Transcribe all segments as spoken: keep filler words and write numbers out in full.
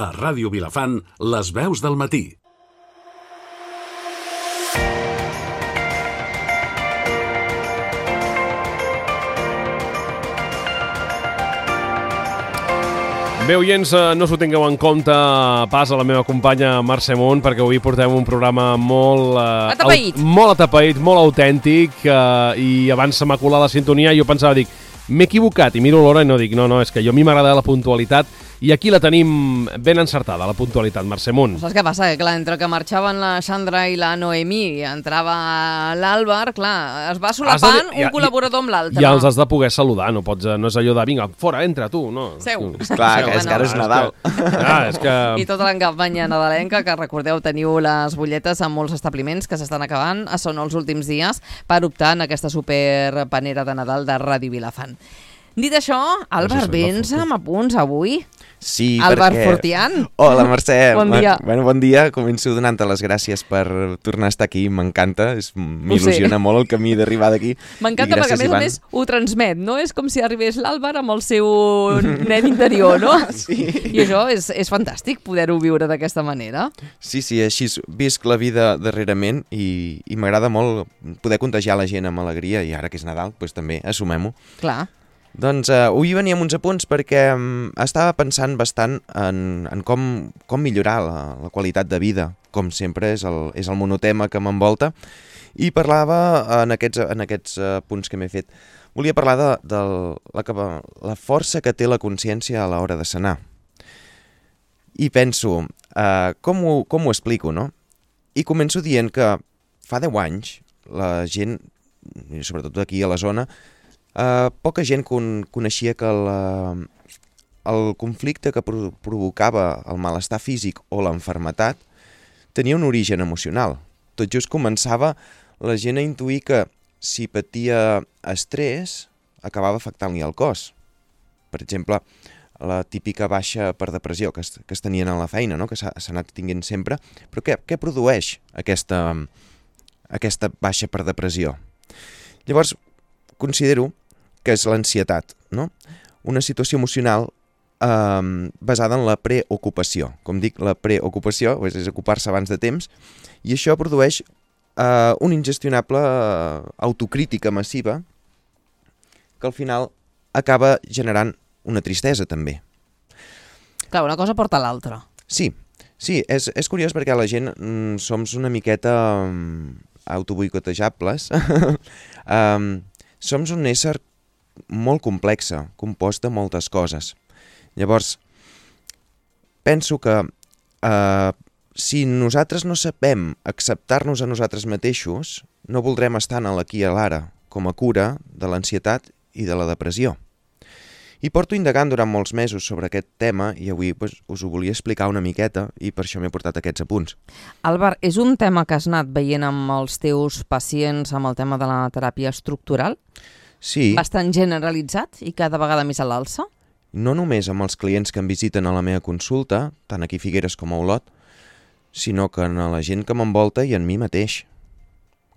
A Ràdio Vilafant, les veus del matí. Bé, oients, no s'ho tingueu en compte pas a la meva companya Mercè Munt, perquè avui portem un programa molt... Eh, atapeït. Molt atapeït, molt autèntic, eh, i abans se m'ha colat la sintonia i jo pensava, dic, m'he equivocat, i miro l'hora i no dic, no, no, és que jo a mi m'agrada la puntualitat, i aquí la tenim ben encertada, la puntualitat, Mercè Munt. Saps què passa? Que, clar, entre que marxaven la Sandra i la Noemí i entrava l'Àlvar, clar, es va solapant de... un ja, col·laborador amb l'altre. Ja els has de poder saludar, no pots, no és allò de, vinga, fora, entra, tu, no. Seu. Clar, que és que ara és Nadal. Ah, és que... I tota la campanya nadalenca, que recordeu, teniu les butlletes en molts establiments que s'estan acabant, són els últims dies per optar en aquesta superpanera de Nadal de Ràdio Vilafant. Dit això, Àlvar, vens amb apunts avui? Sí, Àlvar perquè... Fortián. Hola, Mercè. Bon dia. Bueno, bon dia. Començo donant-te les gràcies per tornar a estar aquí. M'encanta. M'il·lusiona molt el camí d'arribar d'aquí. M'encanta perquè, a més a més, ho transmet, no? És com si arribés l'Àlvar amb el seu nen interior, no? Sí. I això és, és fantàstic, poder-ho viure d'aquesta manera. Sí, sí, així visc la vida darrerament i, i m'agrada molt poder contagiar la gent amb alegria i ara que és Nadal, doncs també assumem-ho. Clar. Doncs uh, avui venia amb uns apunts perquè um, estava pensant bastant en, en com, com millorar la, la qualitat de vida, com sempre és el, és el monotema que m'envolta, i parlava en aquests, en aquests uh, punts que m'he fet. Volia parlar de, de la, la força que té la consciència a l'hora de sanar. I penso, uh, com, ho, com ho explico, no? I començo dient que fa deu anys la gent, sobretot aquí a la zona, Uh, poca gent con coneixia que el, uh, el conflicte que pro provocava el malestar físic o l'enfermetat tenia un origen emocional. Tot just començava la gent a intuir que si patia estrès acabava afectant-li el cos. Per exemple, la típica baixa per depressió que es, que es tenien a la feina, no? Que s'ha anat tinguent sempre. Però què, què produeix aquesta, aquesta baixa per depressió? Llavors, considero que és l'ansietat, no? Una situació emocional eh, basada en la preocupació. Com dic, la preocupació és, és ocupar-se abans de temps, i això produeix eh, una ingestionable autocrítica massiva que al final acaba generant una tristesa també. Clar, una cosa porta a l'altra. Sí, sí, és, és curiós perquè la gent mm, som una miqueta mm, autoboicotejables. um, som un ésser molt complexa, compost de moltes coses. Llavors, penso que eh, si nosaltres no sabem acceptar-nos a nosaltres mateixos, no voldrem estar en l'aquí i a l'ara, com a cura de l'ansietat i de la depressió. I porto indagant durant molts mesos sobre aquest tema i avui pues, us ho volia explicar una miqueta i per això m'he portat aquests apunts. Àlvar, és un tema que has anat veient amb els teus pacients amb el tema de la teràpia estructural? Sí. Bastant generalitzat i cada vegada més a l'alça? No només amb els clients que em visiten a la meva consulta, tant aquí a Figueres com a Olot, sinó que en la gent que m'envolta i en mi mateix.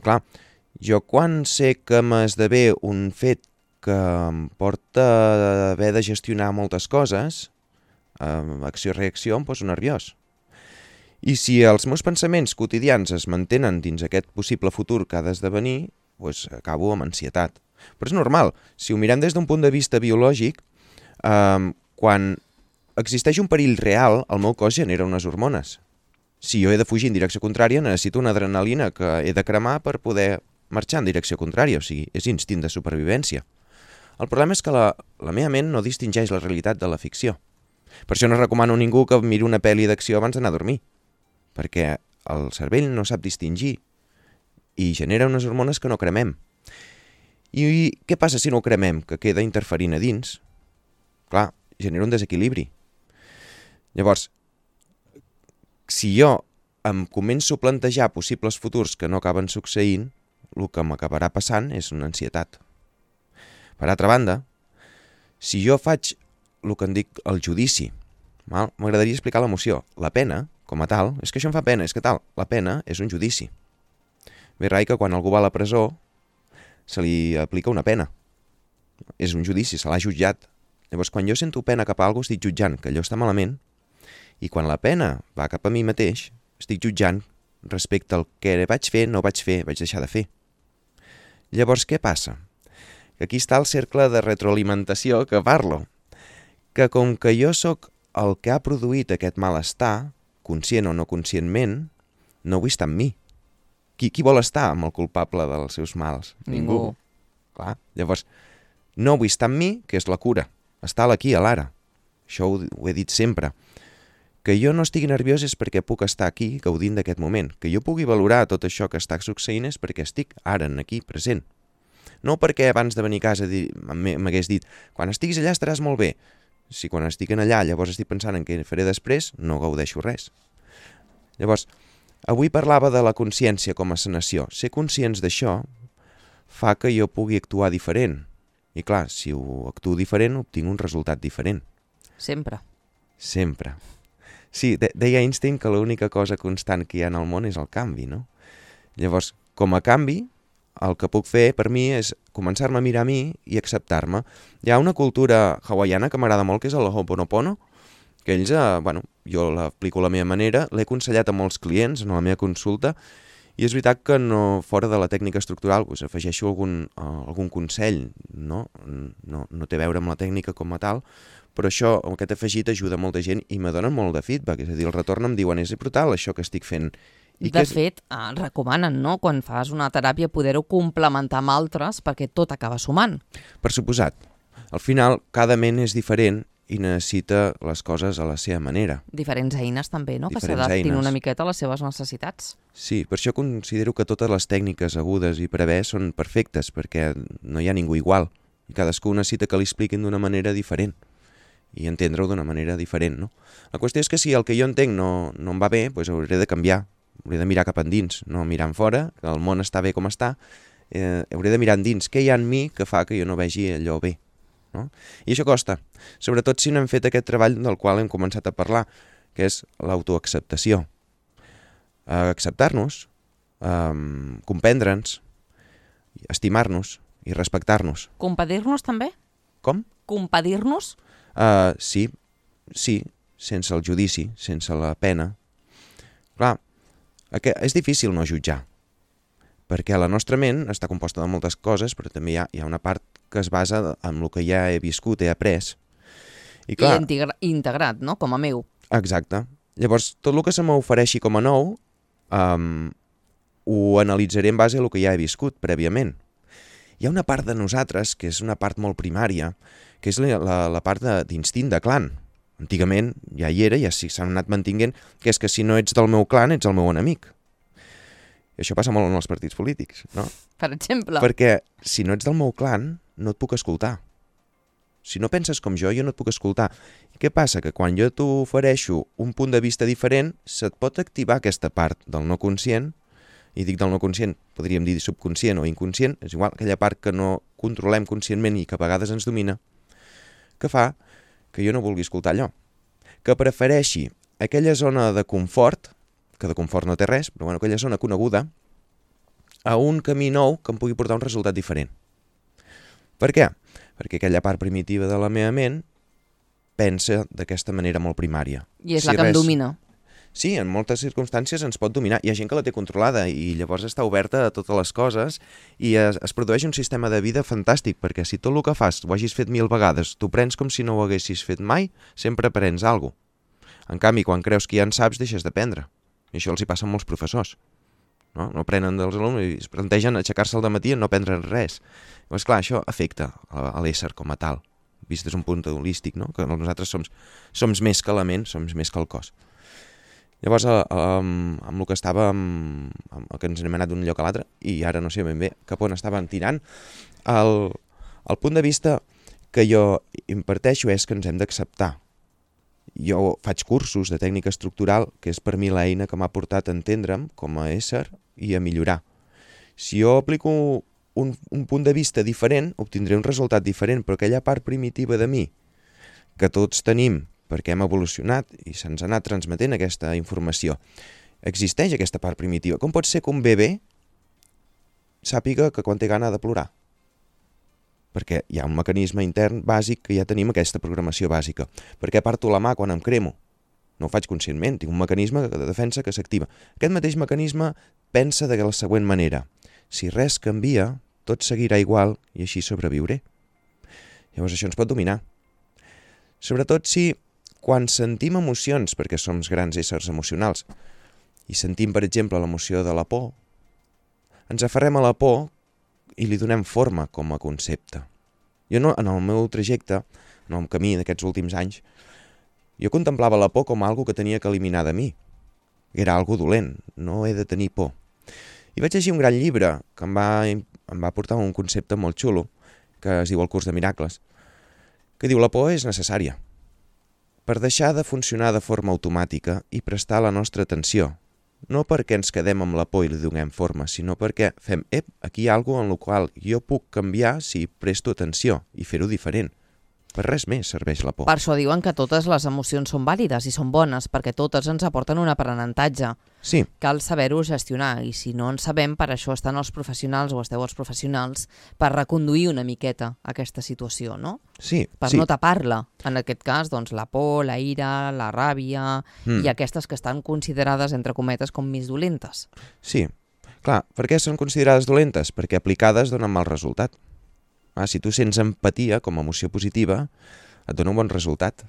Clar, jo quan sé que m'esdevé un fet que em porta a haver de gestionar moltes coses, eh, acció-reacció, em poso nerviós. I si els meus pensaments quotidians es mantenen dins aquest possible futur que ha d'esdevenir, doncs acabo amb ansietat. Però és normal, si ho mirem des d'un punt de vista biològic, eh, quan existeix un perill real, el meu cos genera unes hormones. Si jo he de fugir en direcció contrària, necessito una adrenalina que he de cremar per poder marxar en direcció contrària, o sigui, és instint de supervivència. El problema és que la, la meva ment no distingeix la realitat de la ficció. Per això no recomano a ningú que miri una pel·li d'acció abans d'anar a dormir, perquè el cervell no sap distingir i genera unes hormones que no cremem. I què passa si no ho cremem? Que queda interferint a dins. Clar, genera un desequilibri. Llavors, si jo em començo a plantejar possibles futurs que no acaben succeint, el que m'acabarà passant és una ansietat. Per altra banda, si jo faig el que en dic el judici, m'agradaria explicar l'emoció. La pena, com a tal, és que això em fa pena, és que tal, la pena és un judici. Ve rai que quan algú va a la presó se li aplica una pena. És un judici, se l'ha jutjat. Llavors, quan jo sento pena cap a algú, estic jutjant que allò està malament I quan la pena va cap a mi mateix, estic jutjant respecte al que vaig fer, no vaig fer, vaig deixar de fer. Llavors, què passa? Que aquí està el cercle de retroalimentació que parlo. Que com que jo sóc el que ha produït aquest malestar, conscient o no conscientment, no vull estar amb mi. Qui, qui vol estar amb el culpable dels seus mals? Ningú. Clar, llavors, no vull estar amb mi, que és la cura. Estar a l'aquí, a l'ara. Això ho, ho he dit sempre. Que jo no estigui nerviós és perquè puc estar aquí gaudint d'aquest moment. Que jo pugui valorar tot això que està succeint és perquè estic ara, aquí, present. No perquè abans de venir a casa m'hagués dit quan estiguis allà estaràs molt bé. Si quan estic allà llavors estic pensant en què faré després, no gaudeixo res. Llavors, avui parlava de la consciència com a sanació. Ser conscients d'això fa que jo pugui actuar diferent. I clar, si ho actuo diferent, obtinc un resultat diferent. Sempre. Sempre. Sí, de deia Einstein que l'única cosa constant que hi ha en el món és el canvi, no? Llavors, com a canvi, el que puc fer per mi és començar-me a mirar a mi i acceptar-me. Hi ha una cultura hawaiana que m'agrada molt, que és el Ho'oponopono, que ells, eh, bueno, jo l'aplico a la meva manera, l'he aconsellat a molts clients en la meva consulta, i és veritat que no, fora de la tècnica estructural pues, afegeixo algun, uh, algun consell, no? No, no té a veure amb la tècnica com a tal, però això, aquest afegit ajuda molta gent i me donen molt de feedback, és a dir, el retorn em diuen és brutal això que estic fent. I de és... fet, eh, recomanen, no?, quan fas una teràpia poder-ho complementar amb altres perquè tot acaba sumant. Per suposat. Al final, cada ment és diferent i necessita les coses a la seva manera. Diferents eines també, no?, Diferents que s'adaptin eines. una miqueta a les seves necessitats. Sí, per això considero que totes les tècniques agudes i per haver són perfectes, perquè no hi ha ningú igual. I cadascú necessita que li expliquin d'una manera diferent i entendre-ho d'una manera diferent, no? La qüestió és que si el que jo entenc no, no em va bé, doncs hauré de canviar. Hauré de mirar cap endins, no mirar en fora, que el món està bé com està. Eh, hauré de mirar endins què hi ha en mi que fa que jo no vegi allò bé. No? I això costa, sobretot si no hem fet aquest treball del qual hem començat a parlar, que és l'autoacceptació. Eh, acceptar-nos, eh, comprendre'ns, estimar-nos i respectar-nos. Compadir-nos també? Com? Compadir-nos? Uh, sí, sí, sense el judici, sense la pena. Clar, és difícil no jutjar, perquè la nostra ment està composta de moltes coses, però també hi ha, hi ha una part que es basa en el que ja he viscut, he après. I, clar, I integrat, no?, com a meu. Exacte. Llavors, tot el que se m'ofereixi com a nou, um, ho analitzaré en base a el que ja he viscut prèviament. Hi ha una part de nosaltres, que és una part molt primària, que és la, la, la part d'instint de, de clan. Antigament ja hi era, ja s'han anat mantinguent, que és que si no ets del meu clan, ets el meu enemic. I això passa molt en els partits polítics, no? Per exemple. Perquè si no ets del meu clan, no et puc escoltar. Si no penses com jo, jo no et puc escoltar. I què passa? Que quan jo t'ofereixo un punt de vista diferent, se't pot activar aquesta part del no conscient, i dic del no conscient, podríem dir subconscient o inconscient, és igual, aquella part que no controlem conscientment i que a vegades ens domina, que fa que jo no vulgui escoltar allò. Que prefereixi aquella zona de confort, que de confort no té res, però bueno, aquella zona coneguda, a un camí nou que em pugui portar un resultat diferent. Per què? Perquè aquella part primitiva de la meva ment pensa d'aquesta manera molt primària. I és si la que res... em domina. Sí, en moltes circumstàncies ens pot dominar. Hi ha gent que la té controlada i llavors està oberta a totes les coses i es, es produeix un sistema de vida fantàstic, perquè si tot el que fas ho hagis fet mil vegades, tu prens com si no ho haguessis fet mai, sempre aprens alguna cosa. En canvi, quan creus que ja en saps, deixes d'aprendre. I això els hi passa a molts professors. No, no aprenen dels alumnes i es plantegen aixecar-se al dematí i no aprendre res. Llavors, clar, això afecta a, a l'ésser com a tal, vist des d'un punt holístic, no? Que nosaltres som, som més que la ment, som més que el cos. Llavors, amb, amb el que estava, amb, amb el que ens hem anat d'un lloc a l'altre, i ara no sé ben bé cap on estàvem tirant, el, el punt de vista que jo imparteixo és que ens hem d'acceptar. Jo faig cursos de tècnica estructural, que és per mi l'eina que m'ha portat a entendre'm com a ésser i a millorar. Si jo aplico un, un punt de vista diferent, obtindré un resultat diferent, però aquella part primitiva de mi, que tots tenim, perquè hem evolucionat i se'ns ha anat transmetent aquesta informació. Existeix aquesta part primitiva. Com pot ser que un bebè sàpiga que quan té gana ha de plorar? Perquè hi ha un mecanisme intern bàsic que ja tenim aquesta programació bàsica. Per què parto la mà quan em cremo? no ho faig conscientment, tinc un mecanisme de defensa que s'activa. Aquest mateix mecanisme pensa de la següent manera: si res canvia, tot seguirà igual i així sobreviuré. Llavors això ens pot dominar. Sobretot si, quan sentim emocions, perquè som grans éssers emocionals, i sentim, per exemple, l'emoció de la por, ens aferrem a la por i li donem forma com a concepte. Jo no, en el meu trajecte, en el camí d'aquests últims anys, jo contemplava la por com algo que tenia que eliminar de mi. Era algo dolent, no he de tenir por. I vaig llegir un gran llibre que em va, em va portar un concepte molt xulo, que es diu El curs de miracles, que diu: la por és necessària per deixar de funcionar de forma automàtica i prestar la nostra atenció, no perquè ens quedem amb la por i li donem forma, sinó perquè fem, ep, aquí hi ha alguna cosa en la qual jo puc canviar si presto atenció i fer-ho diferent. Per res més serveix la por. Per això diuen que totes les emocions són vàlides i són bones, perquè totes ens aporten un aprenentatge. Sí. Cal saber-ho gestionar, i si no en sabem, per això estan els professionals, o esteu els professionals, per reconduir una miqueta aquesta situació, no? Sí, per sí. no tapar-la. En aquest cas, doncs, la por, la ira, la ràbia, mm. i aquestes que estan considerades, entre cometes, com més dolentes. Sí. Clar, per què són considerades dolentes? Perquè aplicades donen mal resultat. Ah, si tu sents empatia com a emoció positiva, et dona un bon resultat.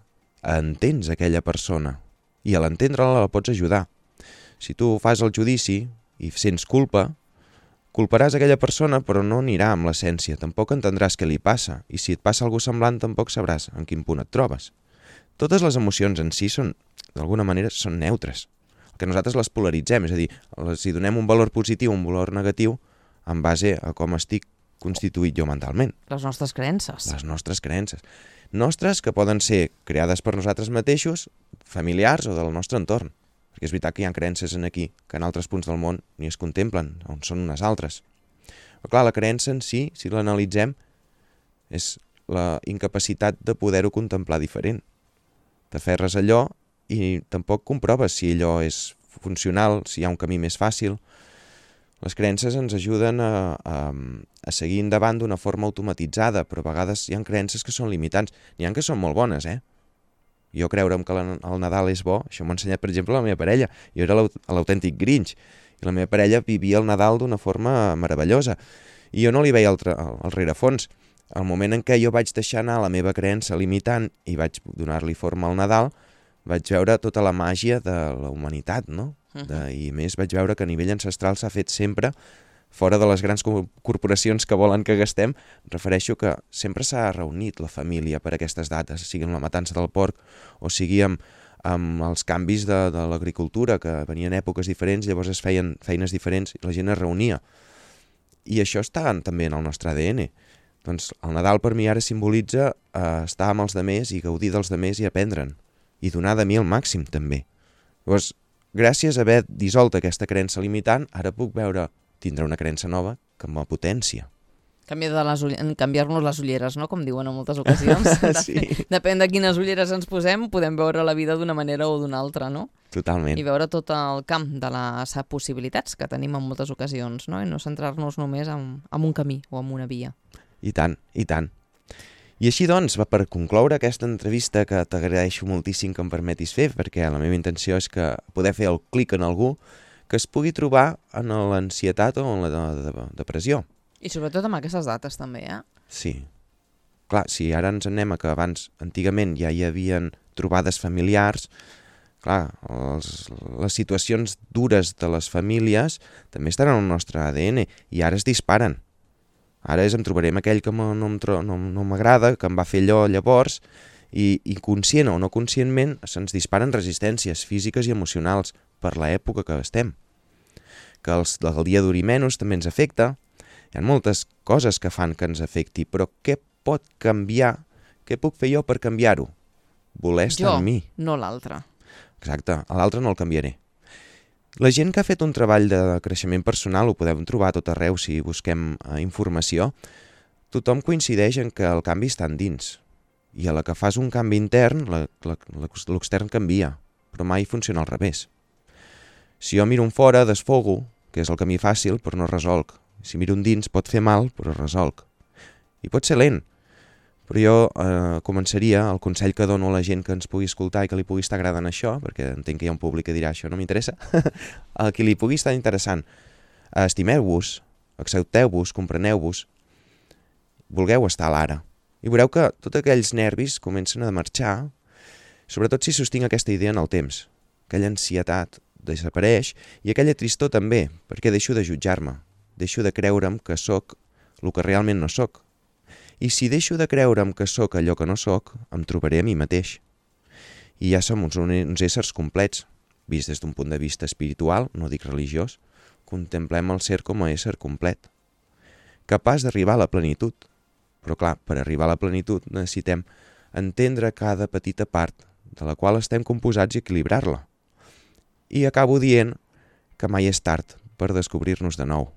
Entens aquella persona i a l'entendre-la la pots ajudar. Si tu fas el judici i sents culpa, culparàs aquella persona però no anirà amb l'essència, tampoc entendràs què li passa, i si et passa alguna semblant tampoc sabràs en quin punt et trobes. Totes les emocions en si són, d'alguna manera, són neutres. El que nosaltres les polaritzem, és a dir, si donem un valor positiu o un valor negatiu en base a com estic constituït jo mentalment. Les nostres creences. Les nostres creences. Nostres que poden ser creades per nosaltres mateixos, familiars o del nostre entorn. Perquè és veritat que hi ha creences en aquí que en altres punts del món ni es contemplen, on són unes altres. Però clar, la creença en si, si l'analitzem, és la incapacitat de poder-ho contemplar diferent. T'aferres a allò i tampoc comproves si allò és funcional, si hi ha un camí més fàcil. Les creences ens ajuden a, a, a seguir endavant d'una forma automatitzada, però a vegades hi ha creences que són limitants. N'hi ha que són molt bones, eh? Jo creure'm que el Nadal és bo, això m'ha ensenyat, per exemple, la meva parella. Jo era l'autèntic Grinch, i la meva parella vivia el Nadal d'una forma meravellosa. I jo no li veia el, el rerefons. Al moment en què jo vaig deixar anar la meva creença limitant i vaig donar-li forma al Nadal, vaig veure tota la màgia de la humanitat, no? De, I més vaig veure que a nivell ancestral s'ha fet sempre, fora de les grans corporacions que volen que gastem, refereixo que sempre s'ha reunit la família per aquestes dates, sigui amb la matança del porc o sigui amb, amb els canvis de, de l'agricultura, que venien èpoques diferents, llavors es feien feines diferents i la gent es reunia. I això està també en el nostre A D N. Doncs el Nadal per mi ara simbolitza eh, estar amb els demés i gaudir dels demés i aprendre'n. I donar de mi el màxim també. Llavors, gràcies a haver dissolt aquesta creença limitant, ara puc veure, tindrà una creença nova que em potència. Canviar-nos les ulleres, no? Com diuen en moltes ocasions. Sí. Depèn de quines ulleres ens posem, podem veure la vida d'una manera o d'una altra, no? Totalment. I veure tot el camp de les possibilitats que tenim en moltes ocasions, no? I no centrar-nos només en, en un camí o en una via. I tant, i tant. I així doncs, per concloure aquesta entrevista que t'agraeixo moltíssim que em permetis fer, perquè la meva intenció és que poder fer el clic en algú que es pugui trobar en l'ansietat o en la de, de, depressió. I sobretot amb aquestes dates també, eh? Sí. Clar, si ara ens anem a que abans, antigament, ja hi havien trobades familiars, clar, els, les situacions dures de les famílies també estan en el nostre A D N i ara es disparen. Ara és em trobaré amb aquell que no, no, no m'agrada, que em va fer allò llavors, i, i conscient o no conscientment se'ns disparen resistències físiques i emocionals per l'època que estem. Que els, el dia duri menys també ens afecta. Hi ha moltes coses que fan que ens afecti, però què pot canviar? Què puc fer jo per canviar-ho? Voler estar amb mi. Jo, no l'altre. Exacte, a l'altre no el canviaré. La gent que ha fet un treball de creixement personal, ho podem trobar a tot arreu si busquem eh, informació, tothom coincideix en que el canvi està endins. I a la que fas un canvi intern, l'extern canvia, però mai funciona al revés. Si jo miro un fora, desfogo, que és el camí fàcil, però no resolc. Si miro un dins, pot fer mal, però resolc. I pot ser lent, Però jo eh, començaria, el consell que dono a la gent que ens pugui escoltar i que li pugui estar agradant això, perquè entenc que hi ha un públic que dirà això no m'interessa, a qui li pugui estar interessant, estimeu-vos, accepteu-vos, compreneu-vos, vulgueu estar a l'ara. I veureu que tots aquells nervis comencen a marxar, sobretot si sostinc aquesta idea en el temps. Aquella ansietat desapareix i aquella tristor també, perquè deixo de jutjar-me, deixo de creure'm que sóc el que realment no sóc. I si deixo de creure'm que sóc allò que no sóc, em trobaré a mi mateix. I ja som uns, uns éssers complets, vist des d'un punt de vista espiritual, no dic religiós, contemplem el ser com a ésser complet, capaç d'arribar a la plenitud. Però clar, per arribar a la plenitud necessitem entendre cada petita part de la qual estem composats i equilibrar-la. I acabo dient que mai és tard per descobrir-nos de nou,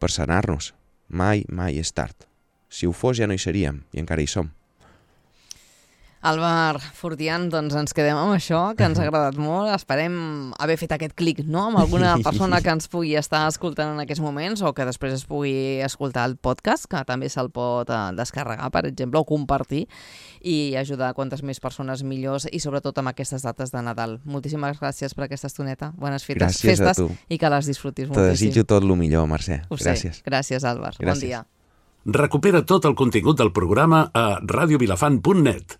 per sanar-nos. Mai, mai és tard. Si ho fos ja no hi seríem, i encara hi som. Àlvar Fortián, doncs ens quedem amb això, que ens ha agradat molt. Esperem haver fet aquest clic, no?, amb alguna persona que ens pugui estar escoltant en aquests moments o que després es pugui escoltar el podcast, que també se'l pot descarregar, per exemple, o compartir i ajudar a quantes més persones millors i sobretot amb aquestes dates de Nadal. Moltíssimes gràcies per aquesta estoneta. Bones fetes, gràcies festes a tu. I que les disfrutis Te moltíssim. Te desitjo tot el millor, Mercè. Ho Gràcies. sé. Gràcies, Àlvar. Gràcies. Bon dia. Recupera tot el contingut del programa a radio vilafant punt net.